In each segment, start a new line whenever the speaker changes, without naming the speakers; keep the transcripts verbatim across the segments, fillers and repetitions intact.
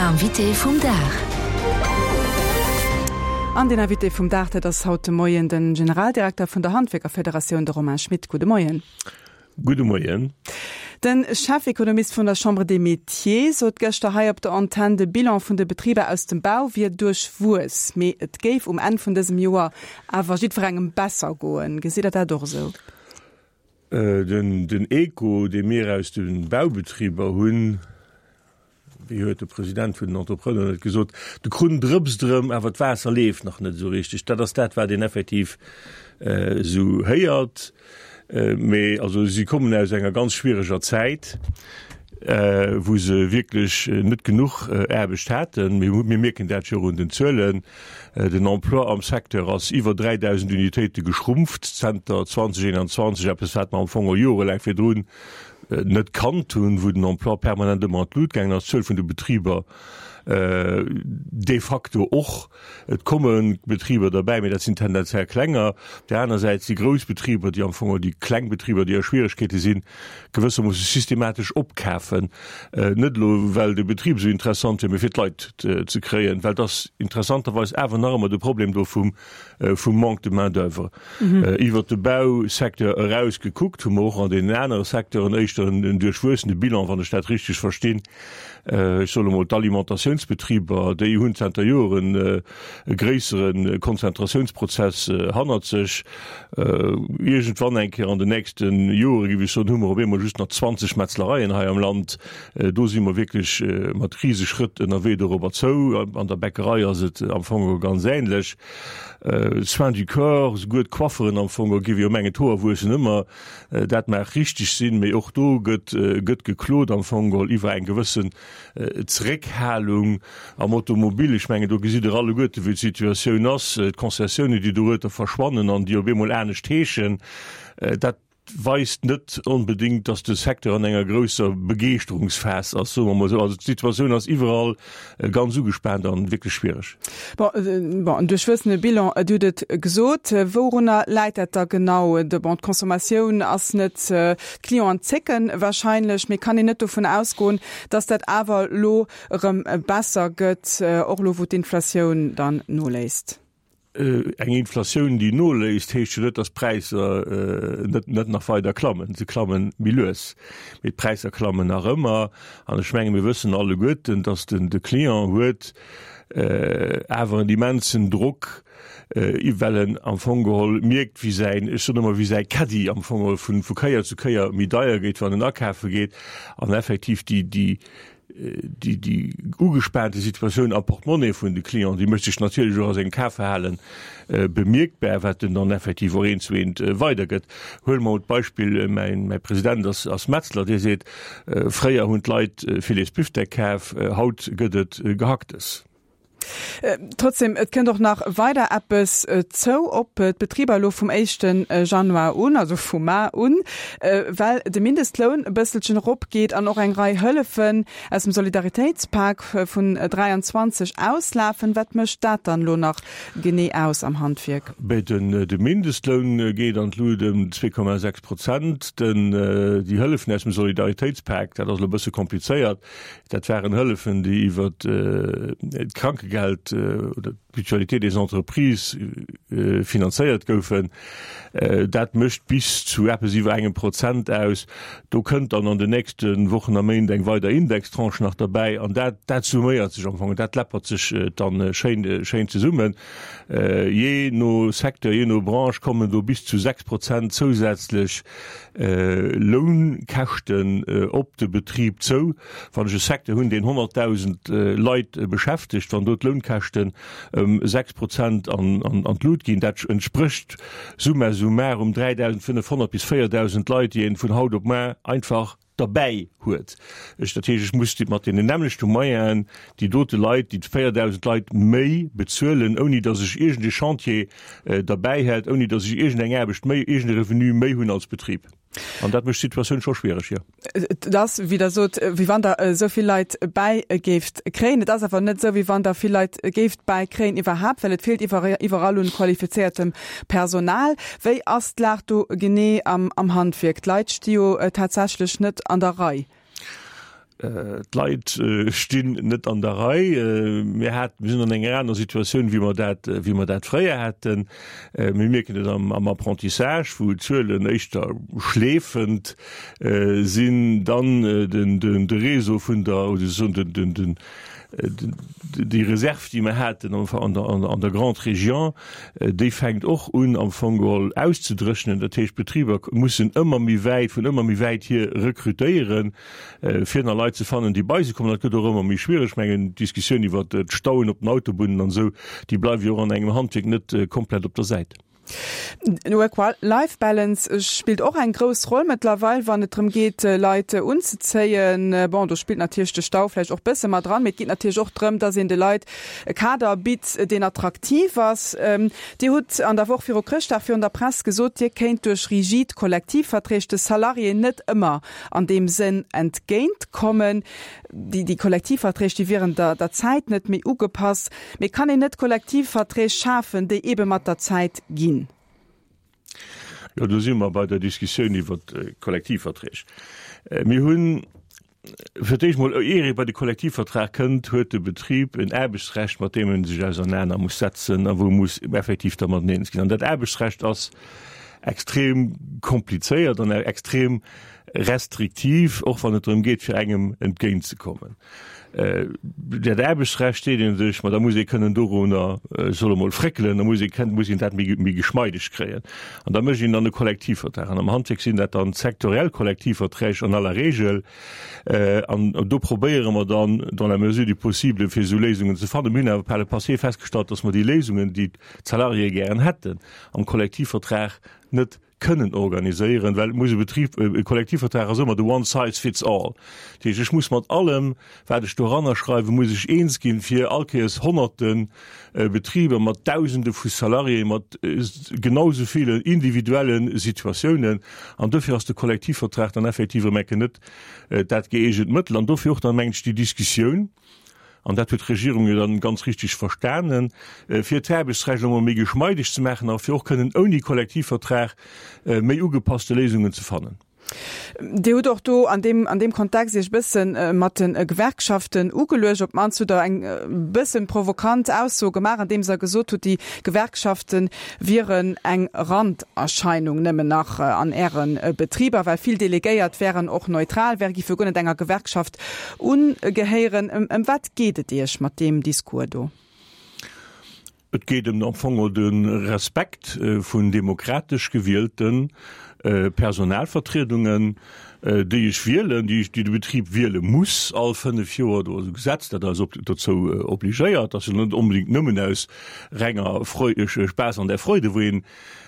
Invité vum Dag.
An den Invité vum Dag, dat ass haut de Moien den Generaldirekter vun der Handwierkerfederatioun, de Romain Schmit. Gudde Moien.
Gudde Moien.
Den Chefekonomist vun der Chambre des Métiers sot gëschter hei op der Antenn, de Bilan vun de Betriber aus dem Bau wier duerchwuess, mee et géif um Enn vun dësem Joer awer jiddwerengem besser goen. Gesitt Der dat och esou?
Den, den Echo, dee mir aus de Baubetriber hunn, wéi huet de President vun den Entrepreneuren et gesot, de Krunn drëpst erëm, awer d'Waasser leeft nach net esou richteg. Dat ass dat, wat een effektiv esou héiert. Mee also si kommen aus enger ganz schwiereger Zäit, wou se wierklech net genuch Aarbecht haten. Mir mir mierken dat jo och un den Zuelen. Den Emploi am Secteur ass iwwer dräidausend Unitéite geschrumpft zenter zweitausendeenanzwanzeg, eppes wat mer am Fong och jorelaang virdrun net kannt hunn, wou den Emploi permanent ëmmer an d'Lut gaangen ass, d'Zuel vun de Betriber de facto och. Et komme Betriber derbäi, mee dat sinn tendenziell klenger. Op där aner Säit si grouss Betriber, déi am Fong och déi kleng Betriber, déi a Schwieregkeete sinn, gewëssermoosse systematesch opkafen. Net elo, well de Betrib esou interessant wier, mee fir d'Leit ze kréien, well et ass interessanterweis awer nach ëmmer de Problem do vum vum Manque de main-d'oeuvre. Iwwert de Bausecteur eraus gekuckt, hu mer och an deenen anere Secteuren éischter en duerchwuessene Bilan, wann ech dat richteg verstinn. Ech soen emol, d'Alimentatiounsbetriber, déi hunn zanter Joren e gréissere Konzentratiounsprozess hannert sech. Iergendwann eng Kéier an den nächste Jore, géif ech soen, hu mer op eemol just nach zwanzeg Metzlereien hei am Land. Do si mer wierklech mat Riseschrëtt ënnerwee dorobber zou. An der Bäckerei ass et am Fong ganz änlech. Soins du corps, souguer d'Coifferen am Fong, géif ech jo mengen, d'Hoer wuessen ëmmer, dat mag richteg sinn, mee och do gëtt gëtt geklot am Fong geholl iwwer eng gewëssen Zeréckhalung am Automobil. Ech mengen, do gesitt Der alleguerte wéi d'Situatioun ass, d'Concessiounen, déi dorueter verschwannen an déi op eemol anescht heeschen, dat weist net onbedéngt, dass de Secteur an enger grousser Begeeschterungsphas ass, soe mer emol esou. Also d'Situatioun ass iwwerall ganz ugespaant an wierklech schwiereg.
Bon, bon, en duerchwuessene Bilan, Dir hutt et gesot. Wourunner läit dat da genau? De, bon, d'Consommatioun ass net, d'Clienten zécken wahrscheinlech, mee kann een net dovun ausgoen, dass dat awer elo erëm besser gëtt, och elo wou d'Inflatioun dann noléisst?
Eng Inflatioun, déi noléisst, heescht jo net, datt d'Präisser net net nach weider klammen. Se klamme méi lues, mee d'Präisser klammen nach ëmmer. An ech menge mir wëssen alleguerten, datt den de Client huet awer en immensen Drock, well en am Fong geholl mierkt, wéi säin, ech soen ëmmer, wéi säi Caddie am Fong geholl vu vu Kéier zu Kéier méi deier gétt, wann en akafe geet. An effektiv déi déi Déi, déi ugespaante Situatioun am Portemonnaie vun de Clienten, déi mécht sech natierlech och a sengem Kafverhale bemierkbar, wat en dann effektiv och eent zu eent weidergëtt. Huele mer mol d'Beispill, mäin, mäi President ass, ass Metzler, dee seet, Fréier hunn d'Leit Filets Büftek kaf, haut gëtt et Gehacktes.
Trotzdem, et kënnt och nach weider eppes zou op d'Betriber elo vum éischte Januar un, also vu mar un, well de Mindestloun e bësselchen eropgeet an och eng Rei Hëllefen aus dem Solidaritéitspak vun dräianzwanzeg auslafen. Wat mécht dat dann elo nach genee aus am Handwierk?
Bé, de Mindestloun geet an d'Lut ëm zwee Komma sechs Prozent. Den, déi Hëllefen aus dem Solidaritéitspak, dat ass elo e bësse komplizéiert, Dat waren Hëllefen, déi iwwer d'Krankegeld oder d'Mutualité des entreprises finanzéiert goufen. Dat mécht bis zu eppes iwwer engem Prozent aus. Do kënnt dann an den nächste Wochen a Méint eng weider Indextranche nach derbäi. An dat, dat summéiert sech am Fong, dat läppert sech dann schéin, schéin zesummen. Jee no Secteur, jee no Branche kommen do bis zu sechs Prozent zousätzlech Lounkäschten op de Betrib zou. Wann ech e Secteur hunn, deen honnertdausend Leit beschäftegt, wann do d'Lounkäschten ëm sechs Prozent an d'Lut ginn, dat entsprécht summa summarum dräidausendfënnefhonnert bis véierdausend Leit, déi een vun haut op muar einfach derbäi huet. Ech, dat heescht, ech muss mat deenen nämmlechte Moyenen déi dote Leit, déi véierdausend Leit méi bezuelen, ouni datt ech iergend e Chantier derbäi hätt, ouni datt ech iergend eng Aarbecht méi, iergend e Revenu méi hunn als Betrib. An dat mécht d'Situatioun scho schwiereg, jo.
Et ass, wéi Der sot, wéi wann Der esou vill Leit bäi géift kréien. Et ass awer net esou, wéi wann Der vill Leit géift bäikréien iwwerhaapt, well et feelt iwwerall un qualifizéiertem Personal. Wéi ass d'Lag do genee am Handwierk? D'Leit sti jo tatsächlech net an der Rei.
D'Leit stinn net an der Rei. Mir hat, mir sinn an enger aner Situatioun, wéi mer dat, wéi mer dat fréier haten. Mir mierken et am, am Apprentissage, wou d'Zuelen éischter schleefend sinn. Dann den, den, de Réseau vun der, oder soen den, den, den, déi Reserv, déi mer haten an der, an der Grande Région, déi fänkt och un am Fong geholl auszedréchnen. Dat heescht, d'Betriber mussen ëmmer méi wäit, vun ëmmer méi wäit hier rekrutéieren, fir nach Leit ze fannen, déi bei se kommen. Dat gëtt och ëmmer méi schwiereg. Ech mengen, d'Diskussioun iwwert d'Stauen op den Autobunnen an esou, déi bleiwe jo och an engem Handwierk net komplett op der Säit.
Work-Life Balance spillt och eng grouss Roll mëttlerweil, wann et drëm geet, Leit unzezéien. Bon, do spillt natierlech de Stau vläicht och bësse mat dran, mee et geet natierlech och drëm, dass een de Leit e Kader bitt, deen attraktiv ass. Dir hutt an der Woch viru Chrëschtdag virun der Press gesot, Dir kéint duerch rigid Kollektivverträg de Salariéen net ëmmer an deem Sënn entgéintkommen. Déi Kollektivverträg, déi wieren der der Zäit net méi ugepasst. Mee kann een net Kollektivverträg schafen, déi eebe mat der Zäit ginn?
Jo, do si mer bei der Diskussioun iwwer d'Kollektivverträg. Mir hunn fir d'éischt mol, ier ee bei de Kollektivvertrag kënnt, huet de Betrib en Aarbechtsrecht, mat deem e sech ausernaner muss setzen a wou e muss effektiv dermat eens ginn. An dat Aarbechtsrecht ass extrem komplizéiert an extrem restriktiv, och wann et drëm geet, fir engem entgéintzekommen. Dat Aarbechtsrecht seet ee sech, ma da muss ee kënnen dorunner, ech soll emol, fréckelen, da muss ee kënnen, muss een dat méi, méi geschmeideg kréien. An da mécht een dann e Kollektivvertrag. An am Handwierk sinn dat dann sektoriell Kollektivverträg an aller Regel. An do probéiere mer dann, dans la mesure du possible, fir esou Léisungen ze fannen. Mir hunn awer par le passé festgestallt, dass mer déi Léisungen, déi d'Salariéë gären hätten, am Kollektivvertrag net kënnen organiséieren, well et muss e Betrib, e Kollektivvertrag ass ëmmer de one size fits all. Dat heescht, ech muss mat allem, wat ech doranner schreiwen, muss ech eens ginn, fir all Kéiers honnerte Betriber mat Dausende vu Salariéen, mat genau esou ville individuelle Situatiounen. An dofir ass de Kollektivvertrag dann effektiv erëm eng Kéier net dat gëeegent Mëttel. An dofir och dann, mengen ech, déi Diskussioun, an dat huet d'Regierung jo dann ganz richtig verstanen, fir d'Aarbechtsrecht emol méi geschmeideg ze maachen a fir och kënnen ouni Kollektivvertrag méi ugepasste Léisungen ze fannen.
Dir hutt och do an deem, an deem Kontext Iech e bësse mat de Gewerkschaften ugeluecht. Op d'mannst hutt Der eng bësse provokant Ausso gemaach, andeems Der gesot hutt, déi Gewerkschafte wieren eng Randerscheinung nëmmen nach an Äre Betriber, well vill Delegéiert wären och neutral, wäre géife guer net enger Gewerkschaft Ungehéieren. Ëm wat geet et Iech mat deem Discours do?
Et geet ëm am Fong de Respekt vun demokratesch gewielte Personalvertriedungen, déi ech wielen, déi de Betrib wiele muss all fënnef Joer. Do ass e Gesetz, dat eis dozou obligéiert. Dat ass jo net onbedéngt nëmmen aus renger Spaass an der Freude, wou een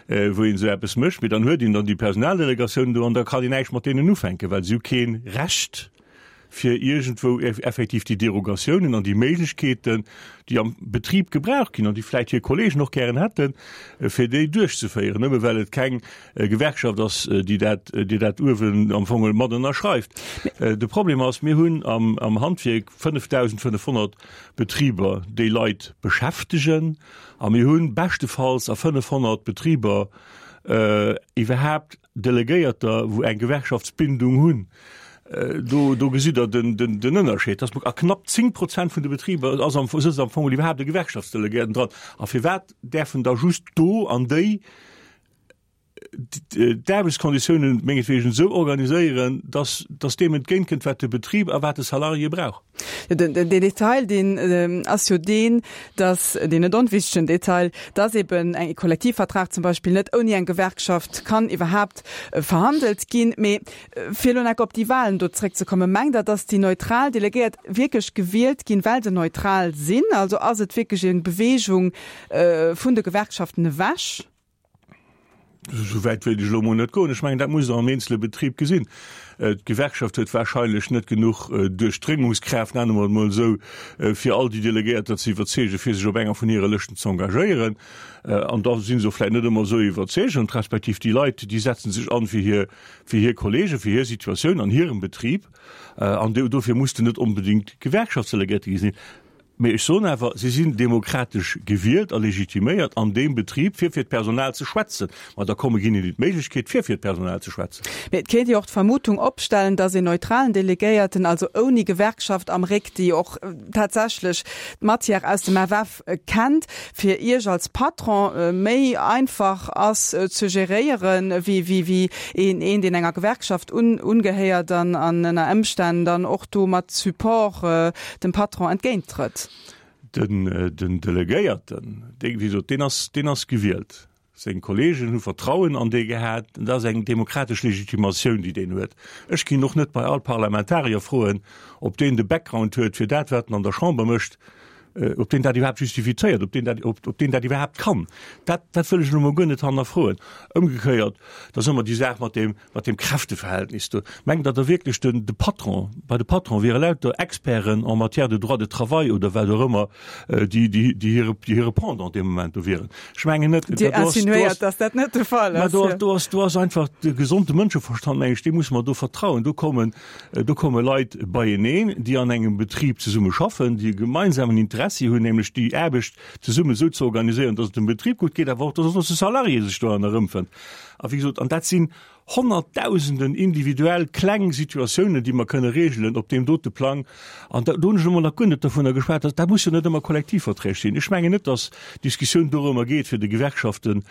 wou een esou eppes mécht. Mee dann huet een dann déi Personaldelegatioun do an da kann een näischt mat deenen ufänken, well si hu kee Recht, fir iergendwou effektiv déi Derogatiounen an déi Méiglechkeeten, déi am Betrib gebraucht ginn an déi vläicht hir Kollegen och gären hätten, fir déi duerchzeféieren, nëmme well et keng Gewerkschaft ass, déi dat, déi dat uewen am Fong mat ënnerschreift. De Problem ass, mir hunn am, am Handwierk fënnefdausendfënnefhonnert Betriber, déi Leit beschäftegen, a mir hu beschtefalls a fënnefhonnert Betriber iwwerhaapt Delegéierter, wou eng Gewerkschaftsbindung hunn. Do, do gesitt Der den, den, den Ënnerscheed, dass a knapp zéng Prozent vun de Betriber ass am, sëtzt am Fong iwwerhaapt e Gewerkschaftsdelegéierten dran. A firwat däerfen da just do an déi d'Aarbechtskonditiounen mengetwegen esou organiséieren, dass, dass deem entgéintkënnt, wat de Betrib a wat de Salarié brauch?
Den, den Detail, deen ass jo deen, dass, deen net onwichtegen Detail, dass eben e Kollektivvertrag zum Beispill net ouni eng Gewerkschaft kann iwwerhaapt verhandelt ginn. Mee fir elo nach op déi Wahlen do zréckzekommen, Mengt Der, dass déi neutral Delegéiert wierklech gewielt ginn, well se neutral sinn? Also ass et wierklech eng Bewegung vun de Gewerkschaften ewech?
Esou wäit wéilt ech elo emol net goen. Ech mengen, dat musst Der am eenzele Betrib gesinn. D'Gewerkschaft huet wahrscheinlech net genuch Duerchdréngungskraaft, nenne mer et emol esou, fir all déi Delegéierter ze iwwerzeegen, fir sech op enger vun hire Lëschten ze engagéieren. An da si se och vläicht net ëmmer esou iwwerzeegend, respektiv déi Leit, déi setze sech an fir hir, fir hir Kollegen, fir hir Situatioun an hirem Betrib. An dofir muss de net onbedéngt Gewerkschaftsdelegéierte gi sinn. Mee ech soen awer, si sinn demokratesch gewielt a legitiméiert an deem Betrib, fir fir d'Personal ze schwätzen. Ma da komme ginn hinnen d'Méiglechkeet, fir fir d'Personal ze schwätzen.
Mee et kéint ee och d'Vermutung opstellen, datt een neutralen Delegéierten, also ouni Gewerkschaft am Réck, déi och tatsächlech d'Matière aus dem F F kennt, fir Iech als Patron méi einfach ass ze geréieren, wéi een, deen enger Gewerkschaft ungehéiert an ënner Ëmstänn dann och do mat Support dem Patron entgéinttrëtt.
Den, den Delegéierten, dee, wéi gesot, deen ass, deen ass gewielt. Seng Kolleegen hu Vertrauen an dee gehat. Dat ass eng demokratesch Legitimatioun, déi deen huet. Ech ginn och net bei all Parlamentarier froen, ob deen de Background huet fir dat, wat en an der Chamber mécht, ob deen dat iwwerhaapt justifizéiert, ob deen dat, ob, ob deen dat iwwerhaapt kann. Dat, dat wëll ech elo mol guer net hannerfroen. Ëmgekéiert, da ass ëmmer déi Saach mat deem, mat deem Kräfteverhältnis do. Mengt Der da wierklech, den, de Patron, bei de Patron wiere lauter Experten en matière de droit de travail oder wat och ëmmer, déi, déi, déi hire, déi hire Pendant dee Moment do wieren? Ech mengen net.
Dir insinuéiert, dass dat net de Fall
ass. Mä do, do ass, do ass einfach de gesonde Mënscheverstand, meng ech, deem musse mer do vertrauen. Do kommen, do komme Leit beieneen, déi an engem Betrib zesumme schaffen, déi e gemeinsamen Interessi hunn, nämlech déi Aarbecht zesummen esou ze organiséieren, dass et dem Betrib gutt geet, awer och, dass och de Salarié sech doran erëmfënnt. A wéi gesot, an dat sinn honnertdausenden individuell kleng Situatiounen, déi mer kënne regelen op deem dote Plang. An do hunn ech elo mol nach guer net dovunner geschwat, dass, dat muss jo net ëmmer Kollektivverträg sinn. Ech mengen net, dass d'Diskussioun dorëmmer geet, fir de Gewerkschaften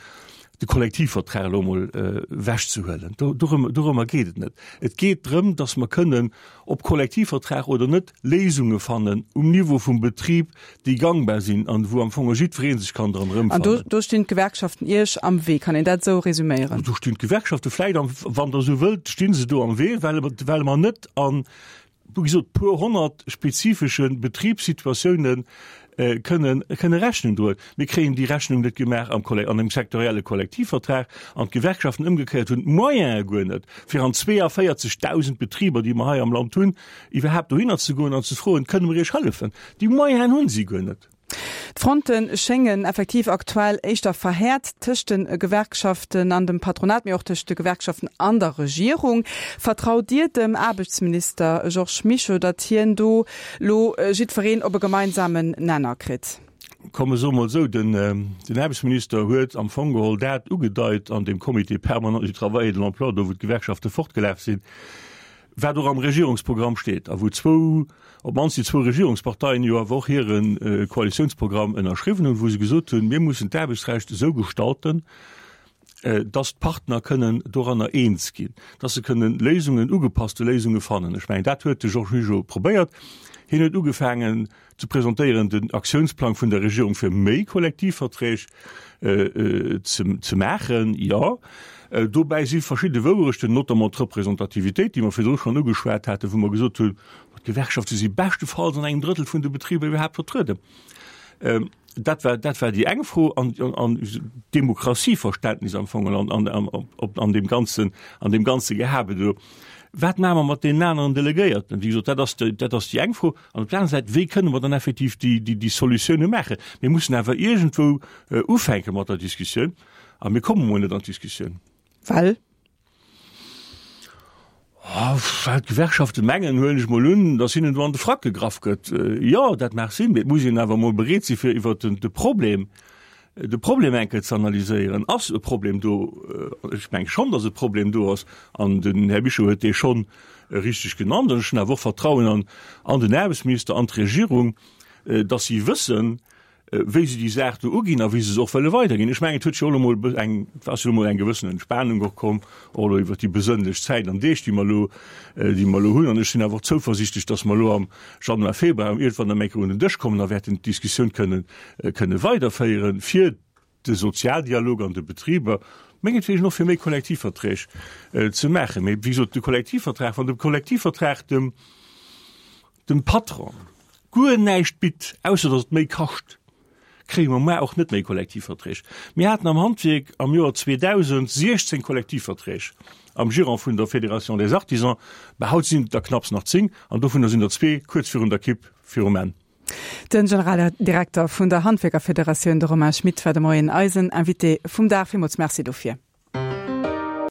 de Kollektivvertrag elo emol ewechzehuelen. Dorëmmer geet et net. Et geet drëm, dass mer kënnen, ob Kollektivvertrag oder net, Léisunge fannen um Niveau vum Betrib, déi gangbar sinn an wou am Fong jiddweree sech kann dran
erëmfannen. An do stinn d'Gewerkschaften Iech am Wee, kann een dat esou resüméieren?
Do stinn d'Gewerkschafte vläicht am, wann Der esou wëllt, sti se do am Wee, well, well mer net an, wéi gesot, puer honnert spezifesche Betribssituatiounen kënnen, kënne Rechnung droen. Mir kréien déi Rechnung net gemaach am Kolle, an engem sektorielle Kollektivvertrag. An d'Gewerkschaften ëmgekéiert hunn d'Moyene guer net, fir an zweeavéierzegdausend Betriber, déi mer hei am Land hunn, iwwerhaapt dohinner ze goen an ze froen, Kënne mer Iech hëllefen? Déi Moyenen hu si guer net.
D'Fronte schéngen effektiv aktuell éischter verhäert tëscht de Gewerkschaften an dem Patronat, mee och tëscht de Gewerkschaften an der Regierung. Vertraut Dir dem Aarbechtsminister Georges Mischo, datt hien do lo jiddwereen op e gemeinsamen Nenner kritt?
Komm ech soe mol esou, den Aarbechtsminister huet am Fong geholl dat ugedeit an deem Comité permanent du travail et de l'emploi, do wou d'Gewerkschafte fortgelaf sinn, wat och am Regierungsprogramm steet a wou zwou, op d'mannst déi zwou Regierungsparteien jo awer och hire Koalitiounsprogramm ënnerschriwwen hunn, wou se gesot hunn, mir mussen d'Aarbechtsrecht esou gestalten, dass d'Partner kënnen doranner eens ginn, dass se kënnen Léisungen, ugepasste Léisunge fannen. Ech mengen, dat huet de Georges Mischo probéiert. Hien huet ugefaangen ze presentéieren den Aktiounsplang vun der Regierung fir méi Kollektivverträg ze maachen, jo. Dobäi si verschidde Wouerechten, notamment d'Representativitéit, déi mer virdru schonn ugeschwat haten, wou mer gesot hunn, d'Gewerkschafte si beschtefalls an engem Drëttel vun de Betriber iwwerhaapt vertrueden. Dat war, dat war déi eng Fro. An, an d'Demokratieverständnis am Fong an, an, an, op, an deem ganzen, an deem ganze Gehabe do. Wat maache mer mat deenen aneren Delegéierten? Wéi gesot, dat ass, dat ass déi eng Fro. An op der anerer Säit, wéi kënne mer dann effektiv déi, déi, déi Solutioune maachen? Mir mussen awer iergendwou ufänke mat der Diskussioun. A mir komme mol net an d'Diskussioun.
Well?
Well d'Gewerkschafte mengen, huelen ech mol un, datt hinnen do an de Frack gegraff gëtt. Jo, dat mag sinn, mee et muss een awer mol bereet si fir iwwer de Problem, de Problem eng Kéier ze analyséieren. Ass e Problem do? Ech menge schonn, datt e Problem do ass. An den Här Mischo huet dee schonn richteg genannt. An ech hunn awer och Vertrauen an, an den Aarbechtsminister, an d'Regierung, datt si wëssen, wéi se déi Saach do uginn a wéi se se och wëlle weiderginn. Ech mengen, et huet jo och elo emol eng, et ass jo elo emol eng gewëssen Entspanung och komm, och elo iwwert déi besënnlech Zäit an Deeg, déi mer elo, déi mer elo hunn. An ech sinn awer och zouversichtlech, dass mer elo am Januar, Februar iergendwann erëm eng Kéier un den Dësch kommen a wäerten d'Diskussioun kënnen, kënne weiderféieren, fir de Sozialdialog an de Betriber, mengetwegen och fir méi Kollektivverträg ze maachen. Mee wéi gesot, de Kollektivvertrag, wann de Kollektivvertrag dem, dem Patron guer näischt bitt, ausser datt et méi kascht, kréie mer mar och net méi Kollektivverträg. Mir haten am Handwierk am Joer zweedausend siechzéng Kollektivverträg am Giron vun der Fédération des Artisans, mä haut sinn et der knapps nach zéng, an dovunner sinn der zwee kuerz virun der Kipp, virum Enn.
De Generaldirekter vun der Handwierkerfederatioun, de Romain Schmit, war de Moien eisen Invité vum Dag. Villmools Merci dofir.